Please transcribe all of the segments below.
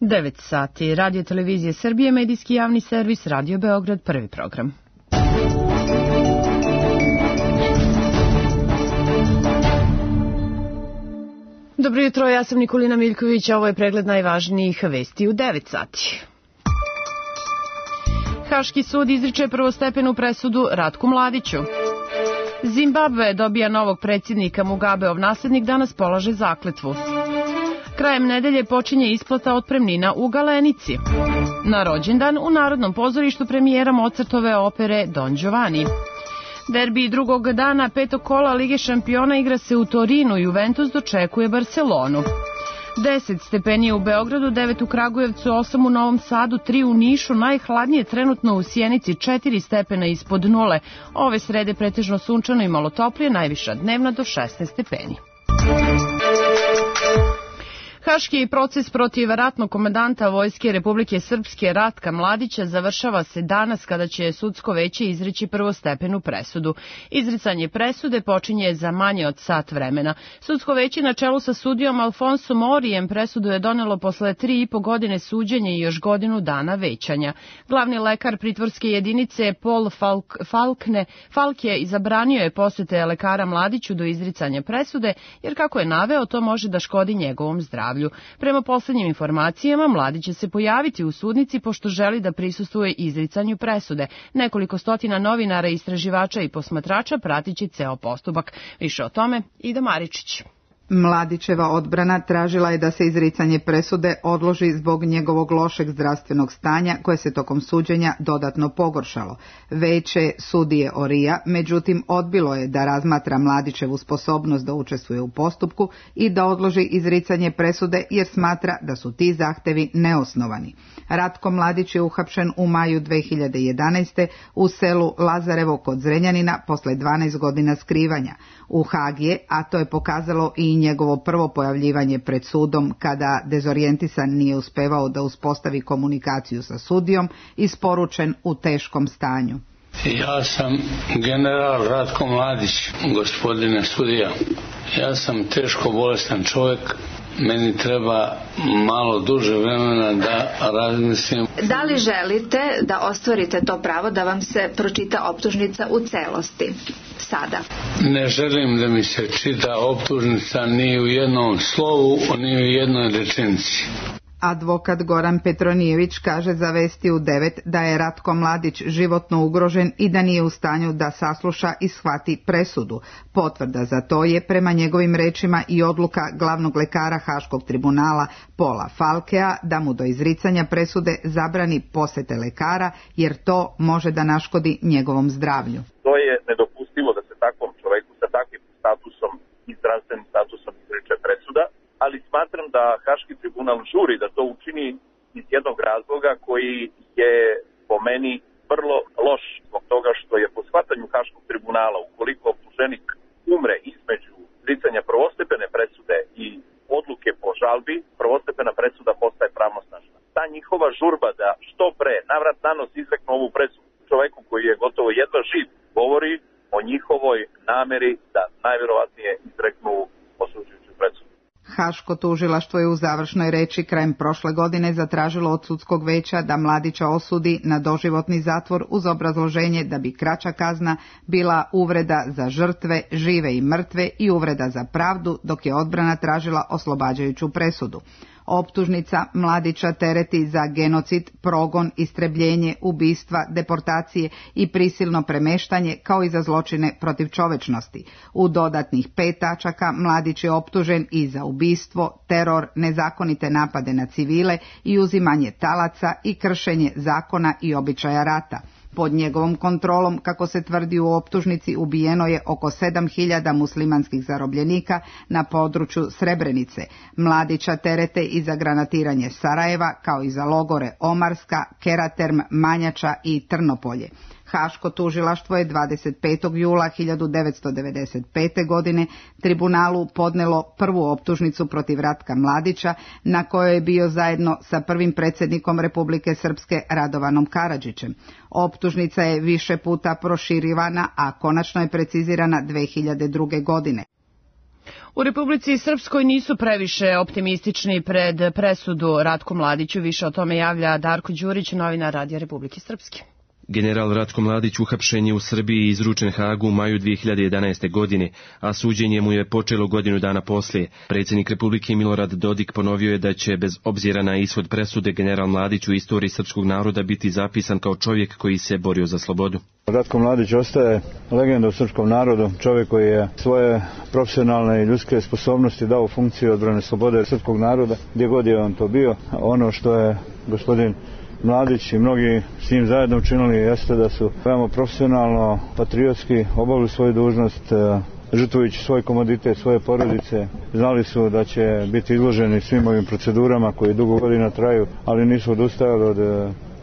9 sati. Radio Televizije Srbije, medijski javni servis, Radio Beograd, prvi program. Dobro jutro, ja sam Nikolina Miljković, a ovo je pregled najvažnijih vesti u 9 sati. Haški sud izriče prvostepenu presudu Ratku Mladiću. Zimbabve dobija novog predsjednika, Mugabeov naslednik danas polaže zakletvu. Krajem nedelje počinje isplata otpremnina u Galenici. Na rođendan u Narodnom pozorištu premijera Mozartove opere Don Giovanni. Derbi drugog dana petog kola Lige šampiona igra se u Torinu, Juventus dočekuje Barcelonu. 10 stepeni u Beogradu, 9 u Kragujevcu, 8 u Novom Sadu, 3 u Nišu, najhladnije trenutno u Sjenici, 4 stepena ispod nule. Ove srede pretežno sunčano i malo toplije, najviša dnevna do 16 stepeni. Haški proces protiv ratnog komandanta Vojske Republike Srpske Ratka Mladića završava se danas kada će sudsko veće izreći prvostepenu presudu. Izricanje presude počinje za manje od sat vremena. Sudsko veće na čelu sa sudijom Alfonsom Morijem presudu je donelo posle 3,5 godine suđenja i još godinu dana većanja. Glavni lekar pritvorske jedinice Paul Falke zabranio je posete lekara Mladiću do izricanja presude, jer kako je naveo, to može da škodi njegovom zdravlju. Prema poslednjim informacijama, Mladić će se pojaviti u sudnici pošto želi da prisustvuje izricanju presude. Nekoliko stotina novinara, istraživača i posmatrača pratit će ceo postupak. Više o tome Ida Maričić. Mladićeva odbrana tražila je da se izricanje presude odloži zbog njegovog lošeg zdravstvenog stanja koje se tokom suđenja dodatno pogoršalo. Veće sudije Orija, međutim, odbilo je da razmatra Mladićevu sposobnost da učestvuje u postupku i da odloži izricanje presude jer smatra da su ti zahtevi neosnovani. Ratko Mladić je uhapšen u maju 2011. u selu Lazarevo kod Zrenjanina posle 12 godina skrivanja. U Hag je, a to je pokazalo i njegovo prvo pojavljivanje pred sudom kada dezorijentisan nije uspevao da uspostavi komunikaciju sa sudijom, isporučen u teškom stanju. Ja sam general Ratko Mladić, gospodine sudija. Ja sam teško bolestan čovjek. Meni treba malo duže vremena da razmislim. Da li želite da ostvarite to pravo da vam se pročita optužnica u celosti? Sada. Ne želim da mi se čita optužnica ni u jednom slovu, ni u jednoj rečenici. Advokat Goran Petronijević kaže za Vesti u 9 da je Ratko Mladić životno ugrožen i da nije u stanju da sasluša i shvati presudu. Potvrda za to je prema njegovim rečima i odluka glavnog lekara Haškog tribunala Paula Falkea da mu do izricanja presude zabrani posete lekara jer to može da naškodi njegovom zdravlju. To je nedopustivo da se takvom čoveku sa takvim statusom i zdravstvenim statusom izriče presuda. Ali smatram da Haški tribunal žuri da to učini iz jednog razloga koji je po meni vrlo loš zbog toga što je po shvatanju Haškog tribunala ukoliko optuženik umre između izricanja prvostepene presude i odluke po žalbi, prvostepena presuda postaje pravnosnažna. Ta njihova žurba da što pre navrat nanos izreknu ovu presudu čoveku koji je gotovo jedva živ govori o njihovoj nameri da najvjerovatnije izreknu osuđujuću presudu. Haško tužilaštvo je u završnoj reči krajem prošle godine zatražilo od sudskog veća da Mladića osudi na doživotni zatvor uz obrazloženje da bi kraća kazna bila uvreda za žrtve, žive i mrtve i uvreda za pravdu, dok je odbrana tražila oslobađajuću presudu. Optužnica Mladića tereti za genocid, progon, istrebljenje, ubistva, deportacije i prisilno premeštanje kao i za zločine protiv čovečnosti. U dodatnih 5 tačaka Mladić je optužen i za ubistvo, teror, nezakonite napade na civile i uzimanje talaca i kršenje zakona i običaja rata. Pod njegovom kontrolom, kako se tvrdi u optužnici, ubijeno je oko 7.000 muslimanskih zarobljenika na području Srebrenice. Mladića terete i za granatiranje Sarajeva, kao i za logore Omarska, Keraterm, Manjača i Trnopolje. Haško tužilaštvo je 25. jula 1995. godine tribunalu podnelo prvu optužnicu protiv Ratka Mladića, na kojoj je bio zajedno sa prvim predsjednikom Republike Srpske Radovanom Karadžićem. Optužnica je više puta proširivana, a konačno je precizirana 2002. godine. U Republici Srpskoj nisu previše optimistični pred presudu Ratku Mladiću. Više o tome javlja Darko Đurić, novinar Radija Republike Srpske. General Ratko Mladić uhapšen je u Srbiji i izručen Hagu u maju 2011. godine, a suđenje mu je počelo godinu dana poslije. Predsjednik Republike Milorad Dodik ponovio je da će, bez obzira na ishod presude, general Mladić u istoriji srpskog naroda biti zapisan kao čovjek koji se borio za slobodu. Ratko Mladić ostaje legenda u srpskom narodu, čovjek koji je svoje profesionalne i ljudske sposobnosti dao u funkciju odbrane slobode srpskog naroda, gdje god je on to bio. Ono što je gospodin Mladić i mnogi s njim zajedno učinili jeste da su veoma profesionalno, patriotski obavili svoju dužnost, žrtvujući svoj komoditet, svoje porodice. Znali su da će biti izloženi svim ovim procedurama koji dugo godina traju, ali nisu odustajali od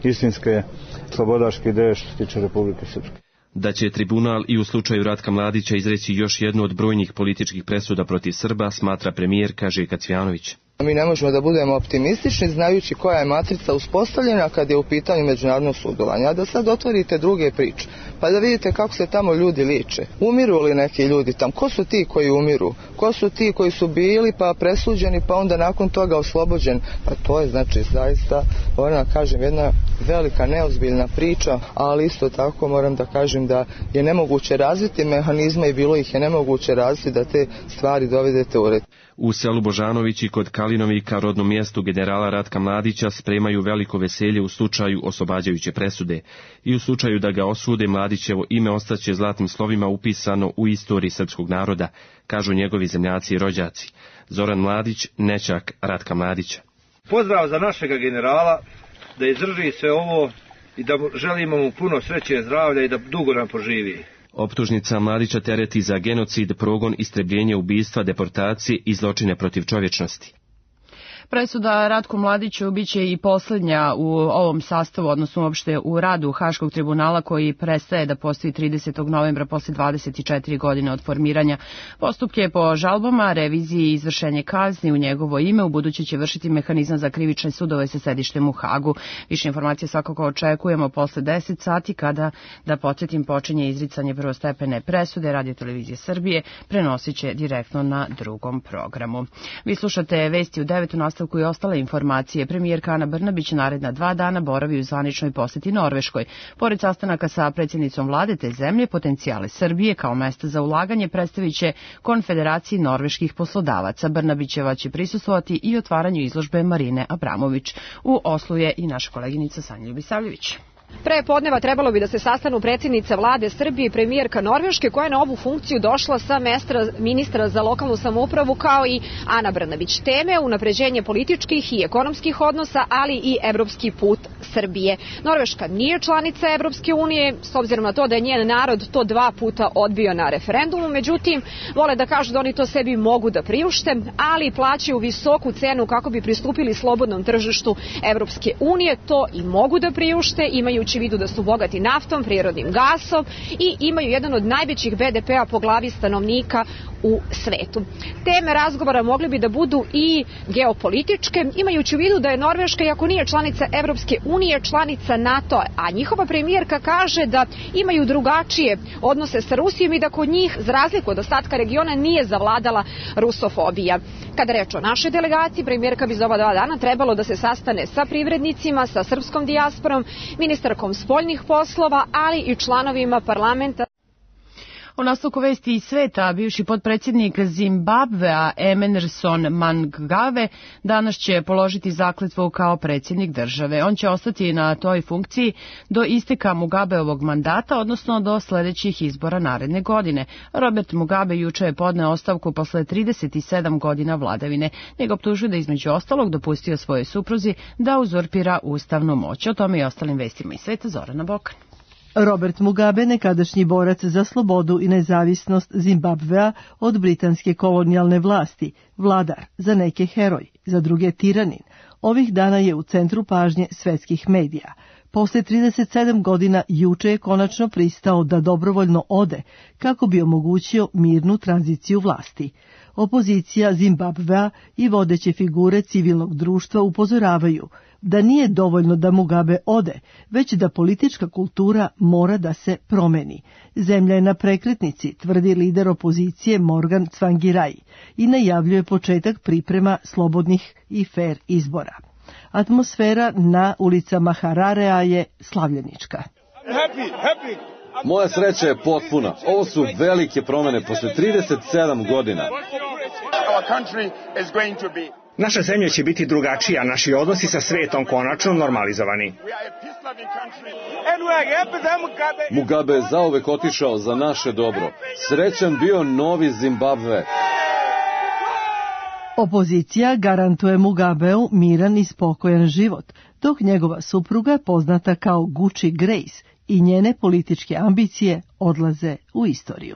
istinske slobodaške ideje što se tiče Republike Srpske. Da će tribunal i u slučaju Ratka Mladića izreći još jednu od brojnih političkih presuda protiv Srba, smatra premijerka Željka Cvijanović. Mi ne možemo da budemo optimistični znajući koja je matrica uspostavljena kad je u pitanju međunarodno sudovanje. A da sad otvorite druge priče, pa da vidite kako se tamo ljudi liče. Umiru li neki ljudi tam? Ko su ti koji umiru? Ko su ti koji su bili pa presuđeni pa onda nakon toga oslobođen? Pa to je znači zaista, moram da kažem, jedna velika neozbiljna priča, ali isto tako moram da kažem da je nemoguće razviti mehanizme i bilo ih je nemoguće razviti da te stvari dovedete u red. U selu Božanovići kod Kalinovika, rodnom mjestu generala Ratka Mladića, spremaju veliko veselje u slučaju oslobađajuće presude. I u slučaju da ga osude, Mladićevo ime ostaće zlatnim slovima upisano u istoriji srpskog naroda, kažu njegovi zemljaci i rođaci. Zoran Mladić, nećak Ratka Mladića. Pozdrav za našega generala, da izdrži sve ovo i da želimo mu puno sreće, zdravlja i da dugo nam poživi. Optužnica Mladića tereti za genocid, progon, istrebljenje, ubistva, deportacije i zločine protiv čovječnosti. Presuda Ratku Mladiću biće i posljednja u ovom sastavu, odnosno uopšte u radu Haškog tribunala koji prestaje da postoji 30. novembra posle 24 godine od formiranja. Postupke po žalbama, reviziji i izvršenje kazni u njegovo ime u buduće će vršiti mehanizam za krivične sudove sa sedištem u Hagu. Više informacije svakako očekujemo posle 10 sati kada, da podsjetim, počinje izricanje prvostepene presude. Radio Televizije Srbije prenosit će direktno na drugom programu. Vi slušate vesti u 9. nastavku i ostale informacije. Premijerka Ana Brnabić naredna 2 dana boravi u zvaničnoj posjeti Norveškoj. Pored sastanaka sa predsjednicom vlade te zemlje, potencijale Srbije kao mesta za ulaganje predstavit će Konfederaciji norveških poslodavaca. Brnabićeva će prisustvovati i otvaranju izložbe Marine Abramović. U Oslu je i naša koleginica Sanja Ljubisavljević. Pre podneva trebalo bi da se sastanu predsjednica vlade Srbije i premijerka Norveške, koja je na ovu funkciju došla sa mesta ministra za lokalnu samoupravu, kao i Ana Brnabić. Teme unapređenje političkih i ekonomskih odnosa, ali i evropski put Srbije. Norveška nije članica Evropske unije, s obzirom na to da je njen narod to 2 puta odbio na referendumu, međutim, vole da kažu da oni to sebi mogu da priušte, ali plaćaju visoku cenu kako bi pristupili slobodnom tržištu Evropske unije. To i mogu da priušte, imajući u vidu da su bogati naftom, prirodnim gasom i imaju jedan od najvećih BDP-a po glavi stanovnika u svetu. Teme razgovora mogli bi da budu i geopolitičke, imajući u vidu da je Norveška, iako nije članica Evropske unije, članica NATO, a njihova premijerka kaže da imaju drugačije odnose sa Rusijom i da kod njih, za razliku od ostatka regiona, nije zavladala rusofobija. Kada reč o našoj delegaciji, premijerka bi za ova 2 dana trebalo da se sastane sa privrednicima, sa srpskom dijasporom, ministarkom spoljnih poslova, ali i članovima parlamenta. U nastavku vesti iz sveta, bivši potpredsjednik Zimbabvea Emerson Mnangagwa danas će položiti zakletvu kao predsjednik države. On će ostati na toj funkciji do isteka Mugabeovog mandata, odnosno do sljedećih izbora naredne godine. Robert Mugabe juče je podneo ostavku posle 37 godina vladavine. Njega optužuju da između ostalog dopustio svojoj supruzi da uzurpira ustavnu moć. O tome i ostalim vestima iz sveta Zorana Bokan. Robert Mugabe, nekadašnji borac za slobodu i nezavisnost Zimbabvea od britanske kolonijalne vlasti, vladar, za neke heroj, za druge tiranin, ovih dana je u centru pažnje svetskih medija. Posle 37 godina juče je konačno pristao da dobrovoljno ode kako bi omogućio mirnu tranziciju vlasti. Opozicija Zimbabvea i vodeće figure civilnog društva upozoravaju, da nije dovoljno da Mugabe ode, već da politička kultura mora da se promeni. Zemlja je na prekretnici, tvrdi lider opozicije Morgan Tsvangirai i najavljuje početak priprema slobodnih i fer izbora. Atmosfera na ulicama Hararea je slavljenička. Moja sreća je potpuna. Ovo su velike promene posle 37 godina. Naša zemlja će biti drugačija, naši odnosi sa svetom konačno normalizovani. Mugabe je zauvek otišao za naše dobro. Srećan bio novi Zimbabve. Opozicija garantuje Mugabeu miran i spokojan život, dok njegova supruga, poznata kao Gucci Grace, i njene političke ambicije odlaze u istoriju.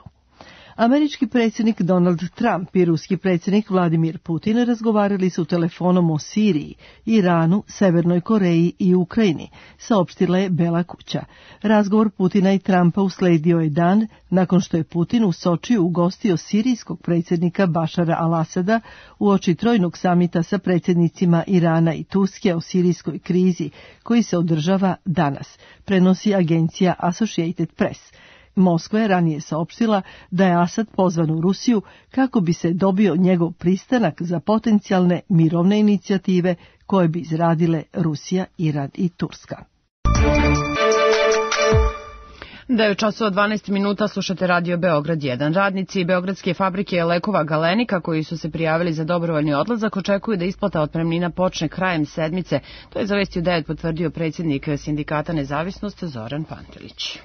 Američki predsjednik Donald Trump i ruski predsjednik Vladimir Putin razgovarali su telefonom o Siriji, Iranu, Severnoj Koreji i Ukrajini, saopštila je Bela kuća. Razgovor Putina i Trumpa usledio je dan nakon što je Putin u Sočiju ugostio sirijskog predsjednika Bašara al-Asada uoči trojnog samita sa predsjednicima Irana i Turske o sirijskoj krizi, koji se održava danas, prenosi agencija Associated Press. Moskva je ranije saopštila da je Asad pozvan u Rusiju kako bi se dobio njegov pristanak za potencijalne mirovne inicijative koje bi izradile Rusija, Iran i Turska. Da je u času od 12 minuta, slušate Radio Beograd 1. Radnici Beogradske fabrike lekova Galenika koji su se prijavili za dobrovoljni odlazak očekuju da isplata otpremnina počne krajem sedmice. To je za Vesti u 9 potvrdio predsjednik Sindikata Nezavisnost Zoran Pantelić.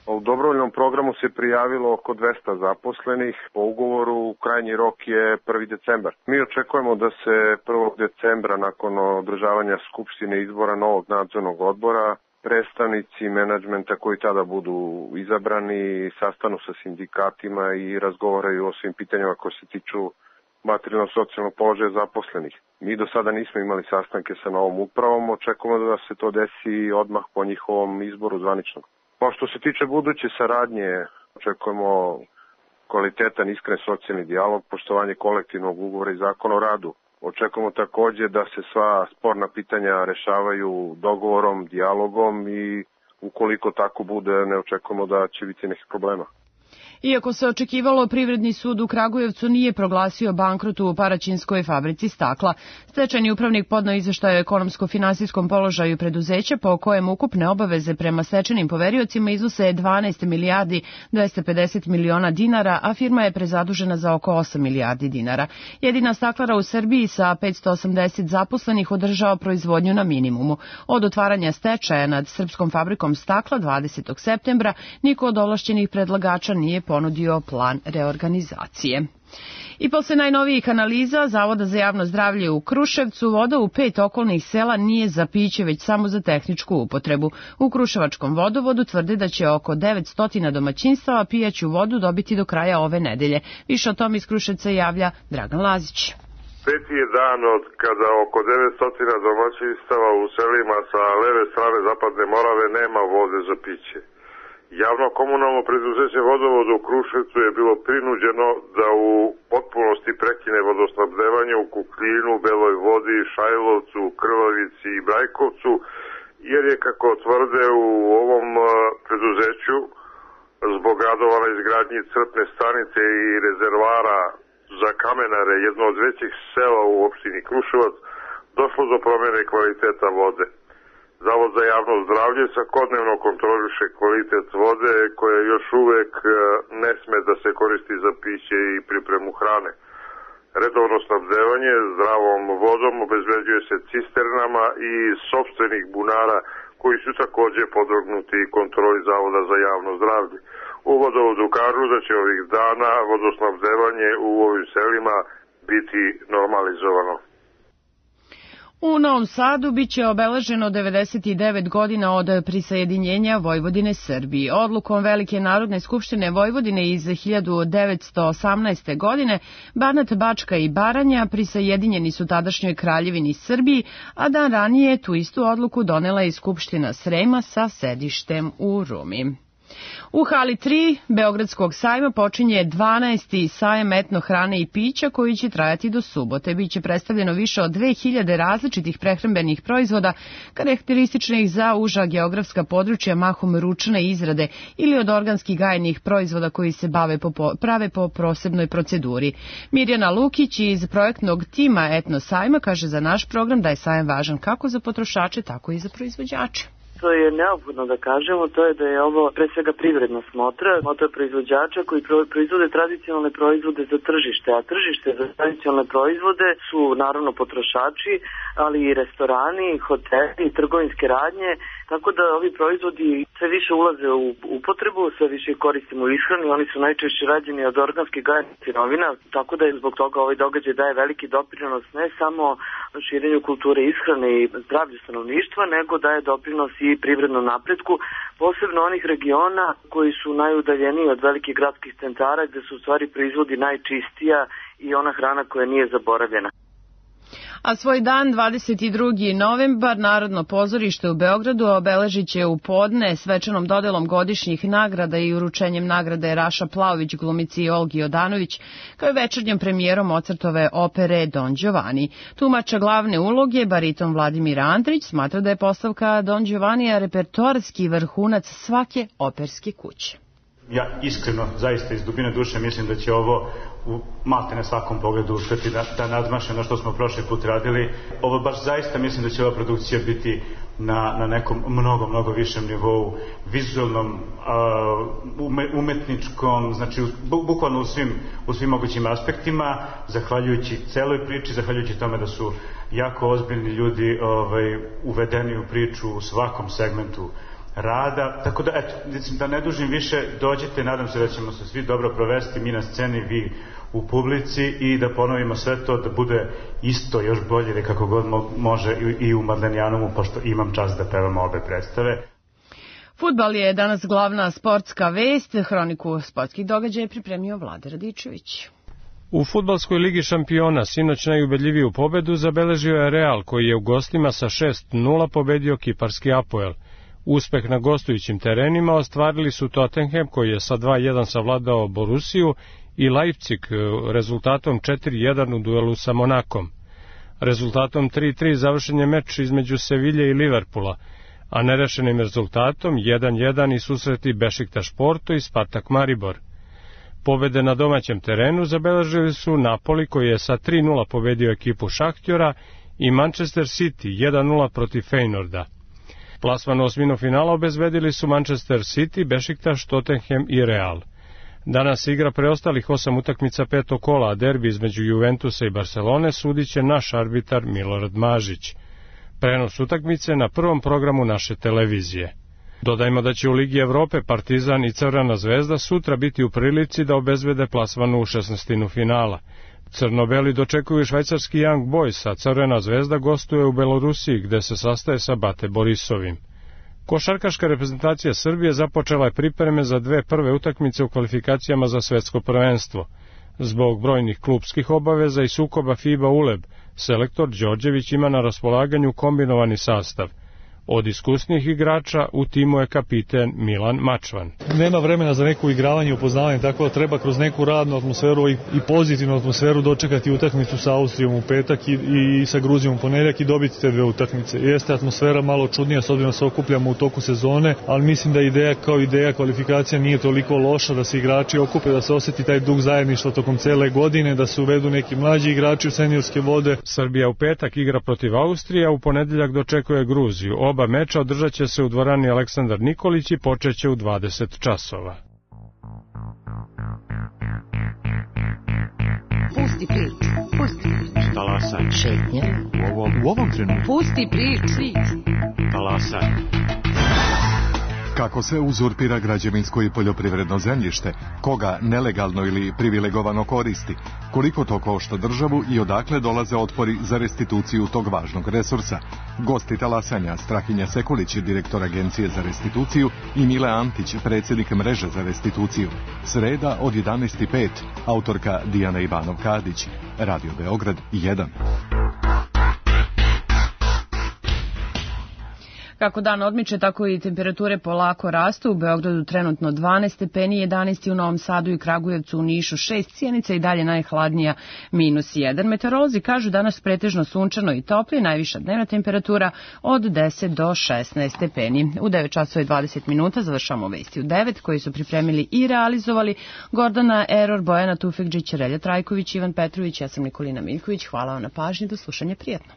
U dobrovoljnom programu se prijavilo oko 200 zaposlenih. Po ugovoru krajnji rok je 1. decembar. Mi očekujemo da se 1. decembra nakon održavanja skupštine izbora novog nadzornog odbora predstavnici menadžmenta koji tada budu izabrani sastanu sa sindikatima i razgovaraju o svim pitanjima koje se tiču materijalno-socijalnog položaja zaposlenih. Mi do sada nismo imali sastanke sa novom upravom, očekujemo da se to desi odmah po njihovom izboru zvaničnog. Što se tiče buduće saradnje, očekujemo kvalitetan, iskren socijalni dijalog, poštovanje kolektivnog ugovora i zakona o radu. Očekujemo također da se sva sporna pitanja rešavaju dogovorom, dijalogom i ukoliko tako bude, ne očekujemo da će biti nekih problema. Iako se očekivalo, Privredni sud u Kragujevcu nije proglasio bankrot u Paraćinskoj fabrici stakla. Stečajni upravnik podneo izveštaj o ekonomsko-finansijskom položaju preduzeća po kojem ukupne obaveze prema stečajnim poveriocima iznose 12 milijardi 250 miliona dinara, a firma je prezadužena za oko 8 milijardi dinara. Jedina staklara u Srbiji sa 580 zaposlenih održava proizvodnju na minimumu. Od otvaranja stečaja nad Srpskom fabrikom stakla 20. septembra niko od ovlašćenih predlagača nije ponudio plan reorganizacije. I posle najnovijih analiza Zavoda za javno zdravlje u Kruševcu, voda u 5 okolnih sela nije za piće, već samo za tehničku upotrebu. U Kruševačkom vodovodu tvrde da će oko 900 domaćinstava pijaću vodu dobiti do kraja ove nedelje. Više o tom iz Kruševca javlja Dragan Lazić. Peti je dan od kada oko 900 domaćinstava u selima sa leve strane Zapadne Morave nema vode za piće. Javno komunalno preduzeće Vodovod u Kruševcu je bilo prinuđeno da u potpunosti prekine vodosnabdevanje u Kukljinu, Beloj Vodi, Šajlovcu, Krvavici i Brajkovcu, jer je, kako tvrde u ovom preduzeću, zbog radova na izgradnji crpne stanice i rezervara za kamenare, jedno od većih sela u opštini Kruševac, došlo do promjene kvaliteta vode. Zavod za javno zdravlje svakodnevno kontroliše kvalitet vode koja još uvek ne sme da se koristi za piće i pripremu hrane. Redovno snabdevanje zdravom vodom obezbeđuje se cisternama i sopstvenih bunara koji su također podvrgnuti kontroli Zavoda za javno zdravlje. U vodovodu kažu da će ovih dana vodosnabdevanje u ovim selima biti normalizovano. U Novom Sadu biće obeleženo 99 godina od prisajedinjenja Vojvodine Srbiji. Odlukom Velike Narodne skupštine Vojvodine iz 1918. godine Banat, Bačka i Baranja prisajedinjeni su tadašnjoj Kraljevini Srbiji, a dan ranije tu istu odluku donela je i Skupština Srema sa sedištem u Rumi. U hali 3 Beogradskog sajma počinje 12. sajam etno hrane i pića koji će trajati do subote. Biće predstavljeno više od 2000 različitih prehrambenih proizvoda karakterističnih za uža geografska područja, mahom ručne izrade ili od organskih gajenih proizvoda koji se prave po posebnoj proceduri. Mirjana Lukić iz projektnog tima etno sajma kaže za naš program da je sajam važan kako za potrošače, tako i za proizvođače. Što je neophodno da kažemo, to je da je ovo pre svega privredna smotra proizvođača koji proizvode tradicionalne proizvode za tržište, a tržište za tradicionalne proizvode su naravno potrošači, ali i restorani, hoteli, trgovinske radnje, tako da ovi proizvodi sve više ulaze u upotrebu, sve više koristimo u ishrani, oni su najčešće rađeni od organskih gajenih sirovina, tako da je zbog toga ovaj događaj daje veliki doprinos ne samo širenju kulture ishrane i zdravlju stanovništva, nego daje doprinos i privrednom napretku, posebno onih regiona koji su najudaljeniji od velikih gradskih centara gde su u stvari proizvodi najčistija i ona hrana koja nije zaboravljena. A svoj dan 22. novembar Narodno pozorište u Beogradu obeležit će u podne svečanom dodelom godišnjih nagrada i uručenjem nagrade Raša Plaović glumici Olgi Jodanović, kao i večernjom premijerom Mozartove opere Don Giovanni. Tumača glavne uloge, bariton Vladimir Andrić, smatra da je postavka Don Giovannija repertoarski vrhunac svake operske kuće. Ja iskreno, zaista iz dubine duše mislim da će ovo u maltene svakom pogledu uspeti da nadmaše ono što smo prošli put radili. Ovo baš zaista mislim da će ova produkcija biti na nekom mnogo višem nivou, vizualnom, umetničkom, znači bukvalno u svim mogućim aspektima, zahvaljujući celoj priči, zahvaljujući tome da su jako ozbiljni ljudi uvedeni u priču u svakom segmentu rada, tako da, eto, da ne dužim više, dođite, nadam se da ćemo se svi dobro provesti, mi na sceni, vi u publici i da ponovimo sve to, da bude isto, još bolje ili kako god može i u Madlenjanomu, pošto imam čast da pevam obe predstave. Fudbal je danas glavna sportska vest, hroniku sportskih događaja pripremio Vlada Radičević. U fudbalskoj ligi šampiona sinoć najubedljiviju pobedu zabeležio je Real, koji je u gostima sa 6-0 pobedio kiparski Apoel. Uspeh na gostujućim terenima ostvarili su Tottenham, koji je sa 2-1 savladao Borussiju, i Leipzig rezultatom 4-1 u duelu sa Monakom. Rezultatom 3-3 završen je meč između Sevilje i Liverpoola, a nerešenim rezultatom 1-1 i susreti Bešiktaš Porto i Spartak Maribor. Pobede na domaćem terenu zabeležili su Napoli, koji je sa 3-0 pobedio ekipu Šahtjora, i Manchester City 1-0 protiv Feynorda. Plasman u osminu finala obezbedili su Manchester City, Bešiktaš, Tottenham i Real. Danas igra preostalih 8 utakmica petog kola, a derbi između Juventusa i Barcelone sudit će naš arbitar Milorad Mažić. Prenos utakmice na prvom programu naše televizije. Dodajmo da će u Ligi Evrope Partizan i Crvena zvezda sutra biti u prilici da obezbede plasmanu u 16. finala. Crnobeli dočekuju švajcarski Young Boys, a Crvena zvezda gostuje u Belorusiji, gde se sastaje sa Bate Borisovim. Košarkaška reprezentacija Srbije započela je pripreme za dve prve utakmice u kvalifikacijama za svetsko prvenstvo. Zbog brojnih klupskih obaveza i sukoba FIBA ULEB, selektor Đorđević ima na raspolaganju kombinovani sastav. Od iskusnih igrača u timu je kapiten Milan Mačvan. Nema vremena za neko igravanje i upoznavanje, tako da treba kroz neku radnu atmosferu i pozitivnu atmosferu dočekati utakmicu sa Austrijom u petak i sa Gruzijom u ponedjeljak i dobiti te dve utakmice. Jeste atmosfera malo čudnija s obzirom da se okupljamo u toku sezone, ali mislim da ideja kao ideja kvalifikacija nije toliko loša, da se igrači okupe, da se osjeti taj duh zajedništva tokom cele godine, da se uvedu neki mlađi igrači u seniorske vode. Srbija u petak igra protiv Austrije, a u ponedjeljak dočekuje Gruziju. Oba meča održat će se u dvorani Aleksandar Nikolić i počeće u 20 časova. Pusti priču. Talasaj. Šetnja. U ovom trenutku. Pusti priču. Talasaj. Kako se uzurpira građevinsko i poljoprivredno zemljište, koga nelegalno ili privilegovano koristi, koliko to košta državu i odakle dolaze otpori za restituciju tog važnog resursa. Gosti talasanja Strahinja Sekulić, direktor Agencije za restituciju, i Mile Antić, predsjednik Mreže za restituciju. Sreda od 11:05, autorka Dijana Ivanov-Kadić, Radio Beograd 1. Kako dan odmiče, tako i temperature polako rastu. U Beogradu trenutno 12 stepeni, 11 u Novom Sadu i Kragujevcu, u Nišu 6, Sjenica i dalje najhladnija -1. Meteorolozi kažu danas pretežno sunčano i topli, najviša dnevna temperatura od 10 do 16 stepeni. U 9 časova i 20 minuta završamo vesti u 9, koji su pripremili i realizovali Gordana Eror, Bojana Tufekđić, Relja Trajković, Ivan Petrović, ja sam Nikolina Miljković. Hvala vam na pažnji, do slušanja, prijatno.